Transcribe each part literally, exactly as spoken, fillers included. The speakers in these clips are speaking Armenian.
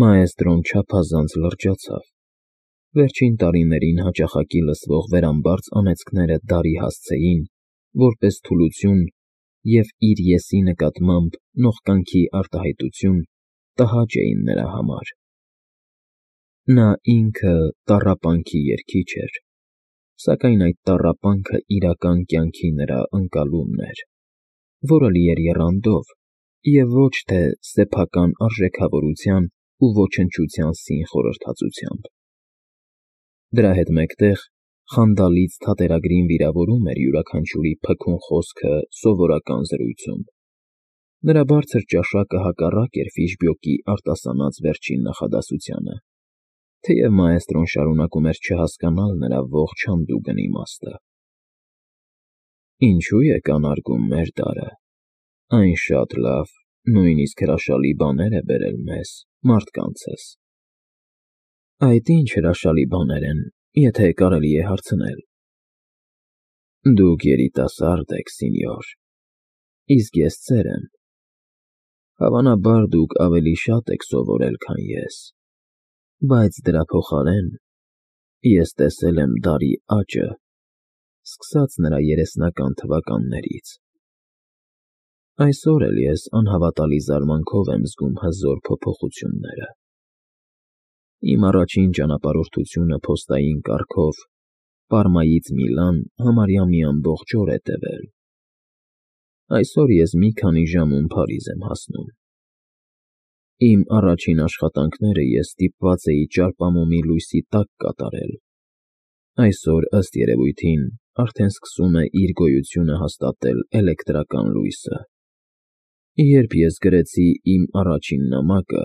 Մաեստրոն չափազանց լրջացավ. վերջին տարիներին հաճախակի լսվող վերամբարձ անեծքները դարի հասցեին, որպես թուլություն և իր եսի նկատմամբ նողկանքի արտահայտություն տհաճ էին նրա համար. նա ինքը տառապանքի երգիչ էր, սակայն այդ տառապանքը իրական կյանքի նրա ընկալումն էր, որը լի էր եռանդով և ոչ թե սեփական արժեքավորության ու ոչնչության սին խորհրդածությամբ. դրա հետ մեկտեղ խանդալից թատերագրին վիրավորում էր յուրաքանչյուրի փքուն խոսքը սովորական զրույցում. նրա բարձր ճաշակը հակառակ էր Ֆիշբյոկի արտասանած վերջին նախադասությանը, թեև մաեստրոն շարունակում էր չհասկանալ նրա ողջ հանդուգն իմաստը. ինչո՞ւ է կանարգում մեր տարրը, այն շատ լավ, նույնիսկ հրաշալի բաներ է բերել մեզ, մարդկանցս։ Այդ ի՞նչ հրաշալի բաներ են, եթե կարելի է հարցնել։ Դուք երիտասարդ եք, սինյոր, իսկ ես ծեր եմ, հավանաբար դուք ավելի շատ եք սովորել, քան ես, բայց դրա փոխարեն ես տեսել եմ դարի աճը, սկսած նրա երեսնական թվականներից։ Այսօր էլ ես անհավատալի զարմանքով եմ զգում հզոր փոփոխությունները։ Իմ առաջին ճանապարհորդությունը փոստային կարգով Պարմայից Միլան համարյա մի ամբողջ օր է տևել։ Այսօր ես մի քանի ժամում Փարիզ եմ հասնում։ Իմ առաջին աշխատանքները ես ստիպված էի ճարպամոմի լույսի տակ կատարել, այսօր, ըստ երևույթին, արդեն սկսում է իր գոյությունը հաստատել էլեկտրական լույսը։ Երբ ես գրեցի իմ առաջին նամակը,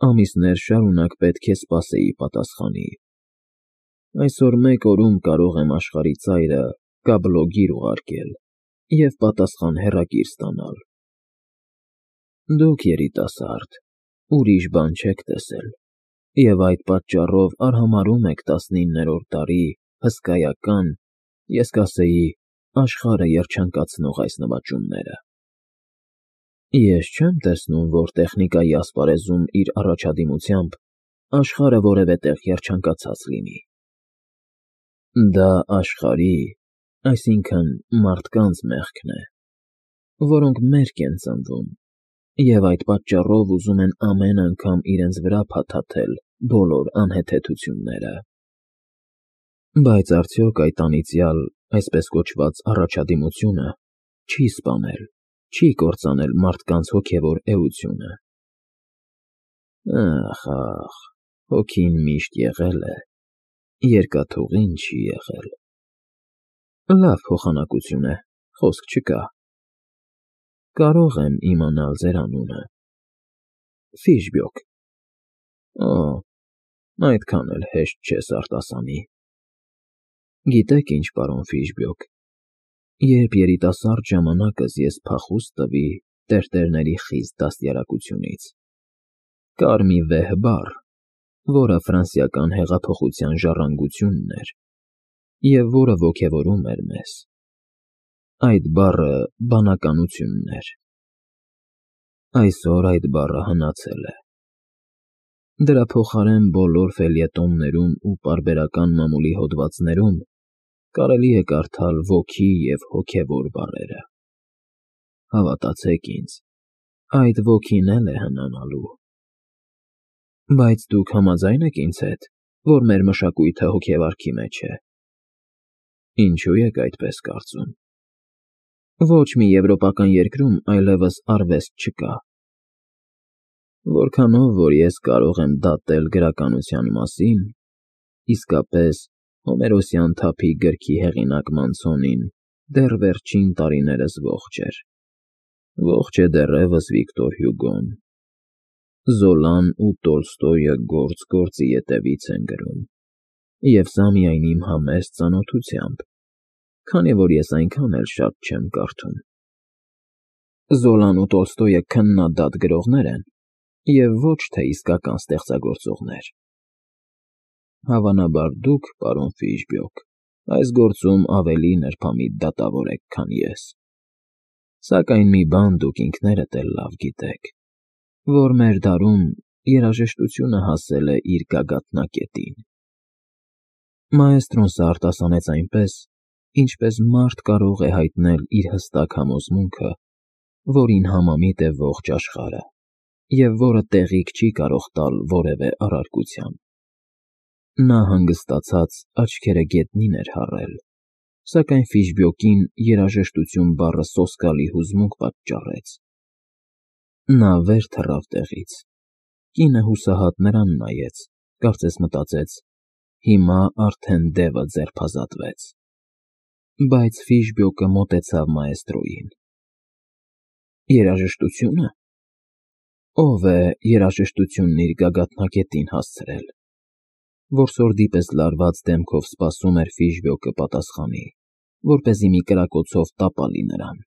ամիսներ շարունակ պետք է սպասեի պատասխանի։ Այսօր մեկ օրում կարող եմ աշխարհի ծայրը կաբլոգիր ուղարկել և պատասխան հեռակիր ստանալ։ Դուք երիտասարդ, ուրիշ բան չեք տեսել, և այդ պատճառով արհամարհում եք տասնիններորդ դարի հսկայական, ես կասեի, աշխարհը երջանկացնող այս նվաճումները։ Ես չեմ տեսնում, որ տեխնիկայի ասպարեզում իր առաջադիմությամբ աշխարհը որևէ տեղ երջանկացած լինի։ Դա աշխարհի, այսինքն մարդկանց մեղքն է, որոնք մերկ են ծնվում և այդ պատճառով ուզում են ամեն անգամ իրենց վրա փաթաթել բոլոր անհեթեթությունները։ Բայց արդյոք այդ անիծյալ, այսպես կոչված առաջադիմությունը չի սպանել, չի կործանել մարդկանց հոգևոր էությունը։ Ախ, ախ, հոգին միշտ եղել է, երկաթուղին չի եղել։ Լավ փոխանակություն է, խոսք չկա։ Կարո՞ղ եմ իմանալ ձեր անունը։ Ֆիշբյոկ։ Օ, այդքան էլ հեշտ չես արտասանի։ Գիտեք ինչ, պարոն Ֆիշբյոկ, երբ երիտասարդ ժամանակս ես փախուստ տվի տերտերների խիստ դաստիարակությունից, կար մի վեհ բառ, որը ֆրանսիական հեղափոխության ժառանգությունն էր և որը ոգևորում էր մեզ։ Այդ բառը բանականությունն էր։ Այսօր այդ բառը հնացել է։ Դրա փոխարեն բոլոր ֆելյետոններում ու պարբերական մամուլի հոդվածներում կարելի է կարդալ ոգի և հոգևոր բառերը։ Հավատացեք ինձ, այդ ոգին էլ է հնանալու։ Բայց դուք համաձա՞յն եք ինձ հետ, որ մեր մշակույթը հոգեվարքի մեջ է։ Ինչո՞ւ եք այդպես կարծում։ Ոչ մի եվրոպական երկրում այլևս արվեստ չկա։ Որքանով որ ես կարող եմ դատել գրականության մասին, իսկապես հոմերոսյան թափի գրքի հեղինակ Մանցոնին դեռ վերջին տարիներս ողջ էր, ողջ է դեռևս Վիկտոր Հյուգոն, Զոլան ու Տոլստոյը գործ֊գործի ետևից են գրում, և սա միայն իմ համեստ ծանոթությամբ, քանի որ ես այնքան էլ շատ չեմ կարդում։ Զոլան ու Տոլստոյը քննադատ գրողներ են և ոչ թե իսկական ստեղծագործողներ։ Հավանաբար դուք, պարոն Ֆիշբյոկ, այս գործում ավելի նրբամիտ դատավոր եք, քան ես, սակայն մի բան դուք ինքներդ էլ լավ գիտեք, որ մեր դարում երաժշտությունը հասել է իր գագաթնակետին։ Մաեստրոն սա արտասանեց այնպես, ինչպես մարդ կարող է հայտնել իր հստակ համոզմունքը, որին համամիտ է ողջ աշխարհը, և որը տեղիք չի կարող տալ որևէ առարկության։ Նա հանգստացած աչքերը գետնին էր հառել, սակայն Ֆիշբյոկին երաժշտություն բառը սոսկալի հուզմունք պատճառեց։ Նա վեր թռավ տեղից։ Կինը հուսահատ նրան նայեց, կարծես մտածեց. հիմա արդեն դևը ձերբազատվեց։ Բայց Ֆիշբյոկը մոտեցավ մաեստրոյին։ Երաժշտությո՞ւնը։ Ո՞վ է երաժշտությունն իր գագաթնակետին հասցրել։ Որսորդի պես լարված դեմքով սպասում էր Ֆիշբյոկը պատասխանի, որպեսզի մի կրակոցով տապալի նրան։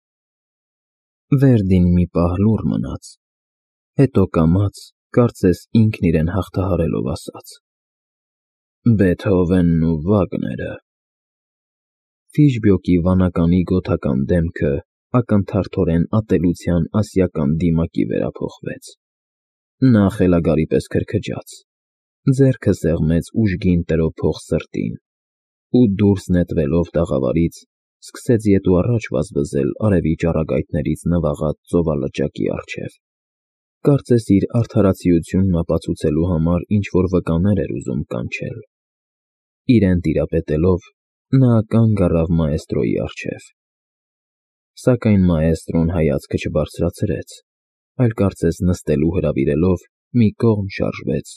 Վերդին մի պահ լուռ մնաց, հետո կամաց, կարծես ինքն իրեն հաղթահարելով ասաց. Բեթհովենն ու Վագները։ Ֆիշբյոկի վանականի գոթական դեմքը ակնթարթորեն ատելության ասիական դիմակի վերափոխվեց։ Նա խելագարի պես քրքջաց, ձեռքը սեղմեց ուժգին տրոփող սրտին ու, դուրս նետվելով տաղավարից, սկսեց ետ ու առաջ վազվզել արևի ճառագայթներից նվաղած ծովալճակի առջև։ Կարծես իր արդարացիությունն ապացուցելու համար ինչ-որ վկաներ էր ուզում կանչել։ Իրեն տիրապետելով՝ նա կանգ առավ մաեստրոյի առջև։ Սակայն մաեստրոն հայացքը չբարձրացրեց, այլ կարծես նստելու հրավիրելով մի կողմ շարժվեց,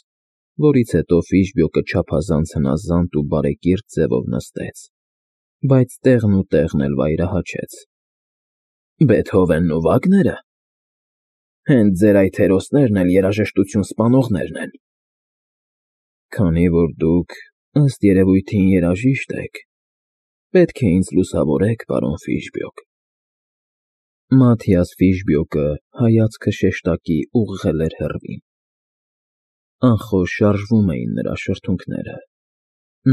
որից հետո Ֆիշբյոկը չափազանց հնազանդ ու բարեկիրթ ձևով նստեց, բայց տեղն ու տեղն էլ վայրահաչեց։ Բեթհովենն ու Վագնե՞րը։ Հենց ձեր այդ հերոսներն էլ երաժշտություն սպանողներն են։ Քանի որ դուք, ըստ երևույթին, երաժիշտ եք, պետք է ինձ լուսավորեք, պարոն Ֆիշբյոկ։ Մաթիաս Ֆիշբյոկը հայացքը շեշտակի ուղղել էր հեռվին։ Անխոս շարժվում էին նրա շրթունքները։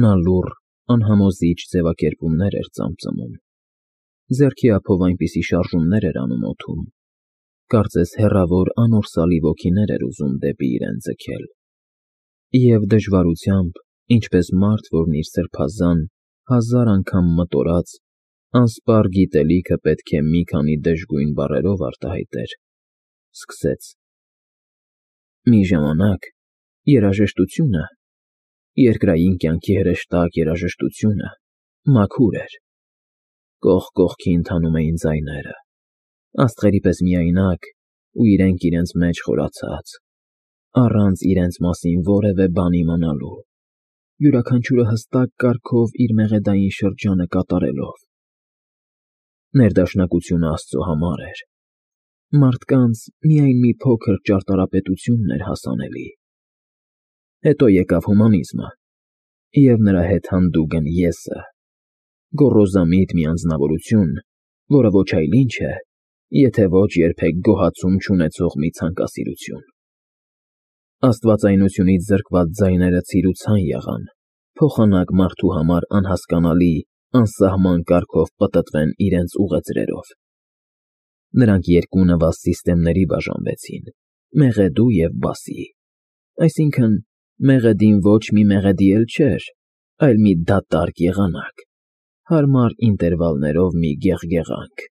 Նա լուռ, անհամոզիչ ձևակերպումներ էր ծամծմում։ Ձեռքի ափով այնպիսի շարժումներ էր անում օդում, կարծես հեռավոր անորսալի ոգիներ էր ուզում դեպի իրեն ձգել։ Եվ դժվարությամբ, ինչպես մարդ, որն իր սրբազան, հազար անգամ մտորած, անսպառ գիտելիքը պետք է մի քանի դժգույն բառերով արտահայտեր, սկսեց. Մի ժամանակ երաժշտությունը, երկրային կյանքի հրեշտակ երաժշտությունը, մաքուր էր։ Կողք կողքի ընթանում էին ձայները, աստղերի պես միայնակ ու իրենք իրենց մեջ խորացած, առանց իրենց մասին որևէ բան իմանալու, յուրաքանչյուրը հստակ կարգով իր մեղեդային շրջանը կատարելով։ Ներդաշնակությունը Աստծո համար էր։ Մարդկանց միայն մի փոքր ճարտարապետությունն էր հասանելի։ Հետո եկավ հումանիզմը, և նրա հետ հանդուգն Եսը, գոռոզամիտ մի անձնավորություն, որը ոչ այլ ինչ է, եթե ոչ երբեք գոհացում չունեցող մի ցանկասիրություն։ Աստվածայնությունից զրկված ձայները ցիրուցան եղան, փոխանակ մարդու համար անհասկանալի, անսահման կարգով պտտվեն իրենց ուղեծրերով։ Նրանք երկու նվազ սիստեմների բաժանվեցին՝ մեղեդու և բասի, այսինքն՝ մեղեդին ոչ մի մեղեդի էլ չէր, այլ մի դատարկ եղանակ, հարմար ինտերվալներով մի գեղգեղանք,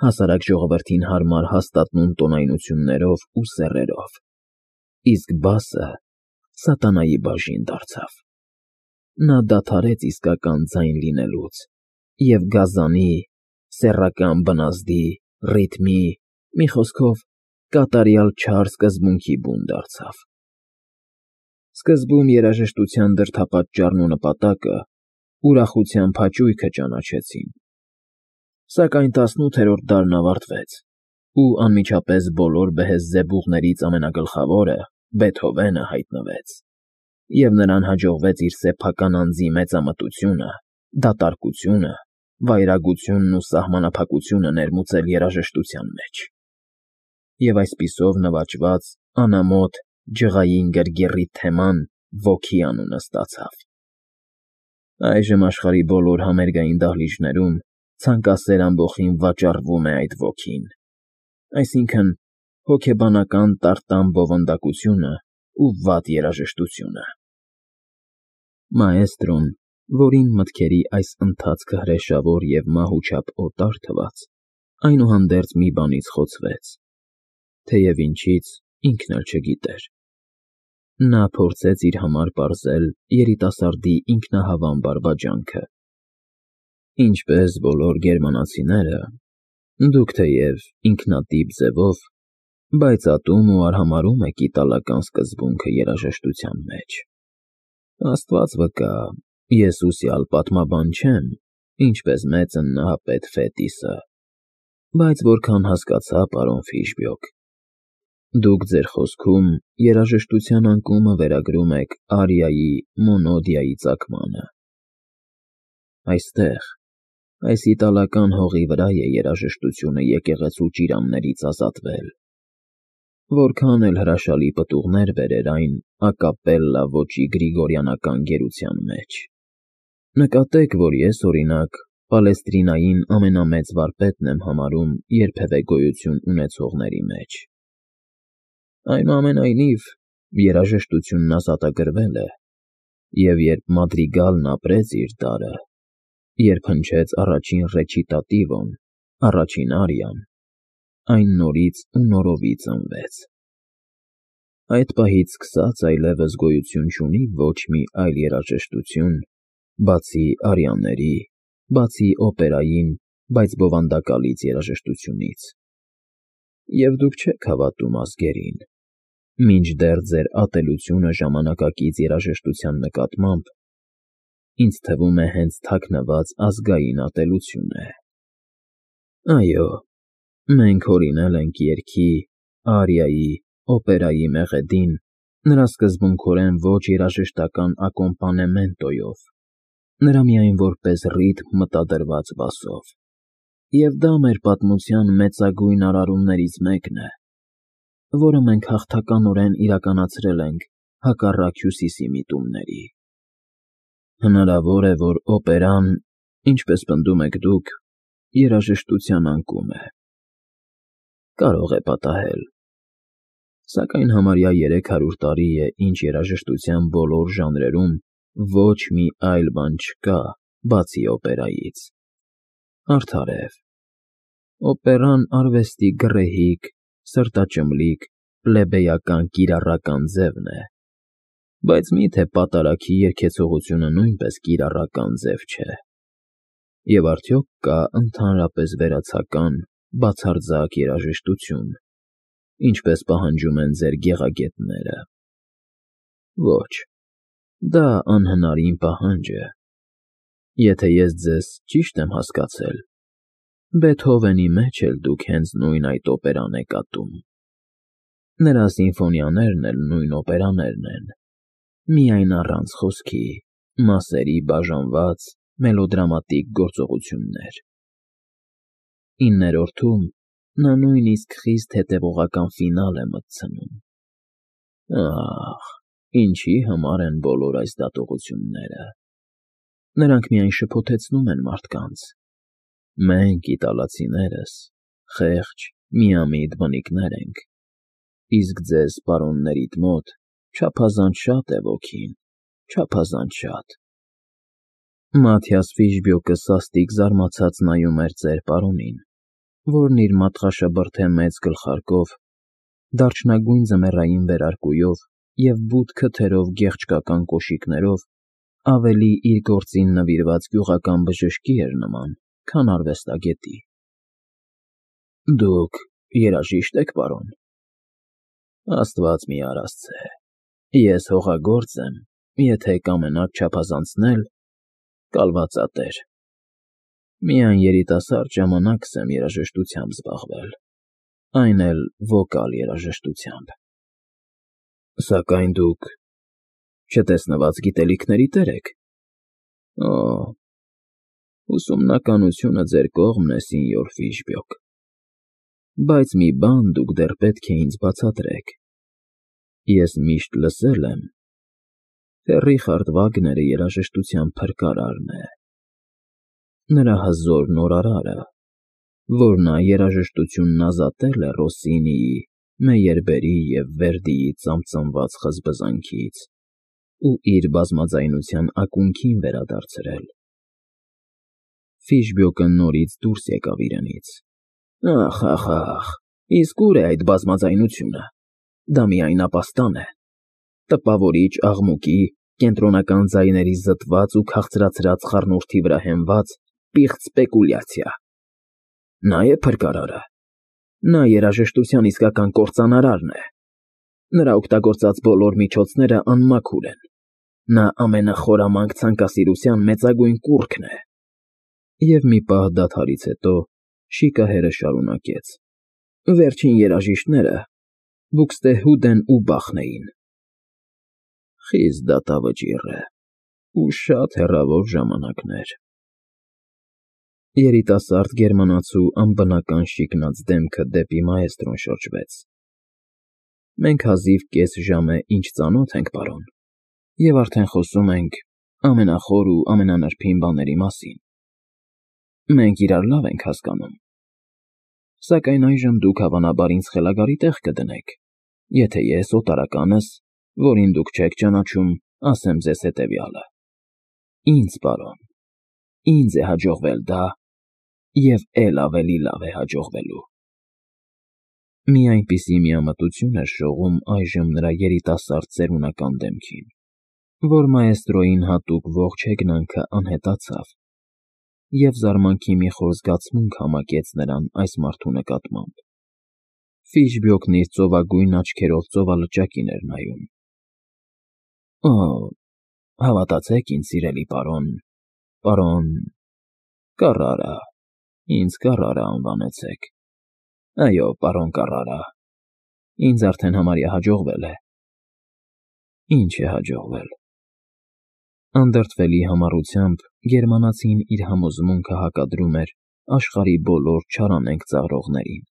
հասարակ ժողովրդին հարմար հաստատուն տոնայնություններով ու սեռերով, իսկ բասը սատանայի բաժին դարձավ։ Նա դադարեց իսկական ձայն լինելուց և գազանի, սեռական բնազդի, ռիթմի, մի խոսքով, կատարյալ չար սկզբունքի բուն դարձավ։ Սկզբում երաժշտության դրդապատճառն ու նպատակը ուրախության փաճույքը ճանաչեցին։ Սակայն տասնութերորդ դարն ավարտվեց, ու անմիջապես բոլոր բեհեզզեբուղներից ամենագլխավորը՝ Բեթհովենը հայտնվեց, և նրան հաջողվեց իր սեփական անձի մեծամտությունը, դատարկությունը, վայրագությունն ու սահմանափակությունը ներմուծել երաժշտության մեջ։ Եվ այսպիսով նվաճված, անամոթ, ջղային գրգռի թեման ոգի անունը ստացավ։ Այժմ աշխարհի բոլոր համերգային դահլիճներում ցանկասեր ամբոխին վաճառվում է այդ ոգին, այսինքն՝ հոգեբանական տարտան բովանդակությունը ու վատ երաժշտությունը։ Մաեստրոն, որին մտքերի այս ընթացքը հրեշավոր և մահուչապ օտար թվաց, այնուհանդերձ մի բանից խոցվեց, թեև ինչից, ինքն էլ չգիտեր։ Նա փորձեց իր համար պարզել երիտասարդի ինքնահավան բարբաջանքը. Ինչպես բոլոր գերմանացիները, դուք թեև ինքնատիպ ձևով, բայց ատում ու արհամարհում եք իտալական սկզբունքը երաժշտության մեջ։ Աստված վկա, ես ուսյալ պատմաբան չեմ, ինչպես մեծն Նահապետ Ֆետիսը, բայց որքան հասկացա, պարոն Ֆիշբյոկ, դուք ձեր խոսքում երաժշտության անկումը վերագրում եք արիայի, մոնոդիայի ծագմանը։ Այստեղ, այս իտալական հողի վրա է երաժշտությունը եկեղեցու ճիրաններից ազատվել, որքան էլ հրաշալի պտուղներ բերեր այն ակապելլա ոճի գրիգորյանական գերության մեջ։ Նկատեք, որ ես, օրինակ, Պալեստրինային ամենամեծ վարպետն եմ համարում երբևէ գոյություն ունեցողների մեջ։ Այնուամենայնիվ, երաժշտությունն ազատագրվել է, և երբ Մադրիգալն ապրեց իր դարը, երբ հնչեց առաջին ռեչիտատիվոն, առաջին արիան, այն նորից ու նորովի ծնվեց։ Այդ պահից սկսած այլևս գոյություն չունի ոչ մի այլ երաժշտություն, բացի արիաների, բացի օպերային, բայց բովանդակալից երաժշտությունից։ Եվ դուք չեք հավատում ազգերին, մինչդեռ ձեր ատելությունը ժամանակակից երաժշտության նկատմամբ, ինձ թվում է, հենց թաքնված ազգային ատելություն է։ Այո, մենք հորինել ենք երգի, արիայի, օպերայի մեղեդին նրա սկզբունքորեն ոչ երաժշտական ակոմպանեմենտոյով, նրա միայն որպես ռիթմ մտադրված բասով, և դա մեր պատմության մեծագույն արարումներից մեկն է, որը մենք հաղթականորեն իրականացրել ենք հակառակ Հյուսիսի միտումների։ Հնարավոր է, որ օպերան, ինչպես պնդում եք դուք, երաժշտության անկում է։ Կարող է պատահել, սակայն համարյա երեք հարյուր տարի է, ինչ երաժշտության բոլոր ժանրերում ոչ մի այլ բան չկա, բացի օպերայից։ Արդարև, օպերան արվեստի գռեհիկ, սրտաճմլիկ, պլեբեյական կիրառական ձևն է, բայց մի՞թե պատարագի երգեցողությունը նույնպես կիրառական ձև չէ։ Եվ արդյոք կա ընդհանրապես վերացական, բացարձակ երաժշտություն, ինչպես պահանջում են ձեր գեղագետները։ Ոչ, դա անհնարին պահանջ է։ Եթե ես ձեզ ճիշտ եմ հասկացել, Բեթհովենի մեջ էլ դուք հենց նույն այդ օպերան եք ատում։ Նրա սիմֆոնիաներն էլ նույն օպերաներն են, միայն առանց խոսքի, մասերի բաժանված, մելոդրամատիկ գործողություններ։ Իններորդում նա նույնիսկ խիստ հետևողական ֆինալ է մտցնում։ Ախ, ինչի համար են բոլոր այս դատողությունները։ Նրանք միայն շփոթեցնում են մարդկանց։ Մենք, իտալացիներս, խեղճ, միամիտ բնիկներ ենք, իսկ ձեզ, պարոններիդ մոտ, չափազանց շատ է ոգին, չափազանց շատ։ Մաթիաս Ֆիշբյոկը սաստիկ զարմացած նայում էր ծեր պարոնին, որն իր մատղաշաբրդե մեծ գլխարկով, դարչնագույն ձմեռային վերարկուով և բութ քթերով գեղչկական կոշիկներով ավելի իր գործին նվիրված գյուղական բժշկի էր նման, քան արվեստագետի։ Դուք երաժիշտ եք, պարոն։ Աստված մի արասցե, ես հողագործ եմ, եթե կամենաք չափազանցնել, կալվածատեր։ Միայն երիտասարդ ժամանակս եմ երաժշտությամբ զբաղվել, այն էլ վոկալ երաժշտությամբ։ Սակայն դուք չտեսնված գիտելիքների տեր եք։ Օ, ուսումնականությունը ձեր կողմն է, սենյոր Ֆիշբյոկ, բայց մի բան դուք դեռ պետք է ինձ բացատրեք. ես միշտ լսել եմ, թե Ռիխարդ Վագները երաժշտության փրկարարն է, նրա հզոր նորարարը, որ նա երաժշտությունն ազատել է Ռոսսինիի, Մեյերբերի և Վերդիի ծամծամված խզբզանքից ու իր բազմաձայնության ակունքին վերադարձրել։ Ֆիշբյոկը նորից դուրս եկավ իրենից. «Ախ, ախ, ախ, իսկ ուր է այդ բազմաձայնությունը, դա միայն ապաստան է, տպավորիչ աղմուկի, կենտրոնական ձայների զտված ու քաղցրացրած խառնուրդի վրա հենված պիղծ սպեկուլյացիա։ Նա է փրկարարը, նա երաժշտության իսկական կործանարարն է, նրա օգտագործած բոլոր միջոցները անմաքուր են, նա ամենախորամանկ ցանկասիրության մեծագույն կուռքն է»։ Եվ մի պահ դադարից հետո շիկահերը շարունակեց. «Վերջին երաժիշտները Բուքստեհուդեն ու Բախն էին»։ Խիստ դատավճիռ է ու շատ հեռավոր ժամանակներ։ Երիտասարդ գերմանացու անբնական շիկնած դեմքը դեպի մաեստրոն շրջվեց։ «Մենք հազիվ կես ժամ է ինչ ծանոթ ենք, պարոն, և արդեն խոսում ենք ամենախոր ու ամենանրբին բաների մասին։ Մենք իրար լավ ենք հասկանում։ Սակայն այժմ դուք հավանաբար ինձ խելագարի տեղ կդնեք, եթե ես օտարականս, որին դուք չեք ճանաչում, ասեմ ձեզ հետևյալը. ինձ, պարոն, ինձ է հաջողվել դա և էլ ավելի լավ է հաջողվելու»։ Մի այնպիսի միամտություն էր շողում այժմ նրա երիտասարդ ծերունական դեմքին, որ մաեստրոյին հատուկ ողջ հեգնանքը անհետացավ, և զարմանքի մի խոր զգացմունք համակեց նրան այս մարդու նկատմամբ։ Ֆիշբյոկն իր ծովագույն աչքերով ծովալճակին էր նայում։ «Օ, հավատացեք ինձ, սիրելի պարոն, պարոն… Կառարա, ինձ Կառարա անվանեցեք։ Այո, պարոն Կառարա, ինձ արդեն համարյա հաջողվել է»։ Ինչ է հաջողվել։ Անդրդվելի համառությամբ գերմանացին իր համոզմունքը հակադրում էր աշխարհի բոլոր չարանենգ ծաղրողներին։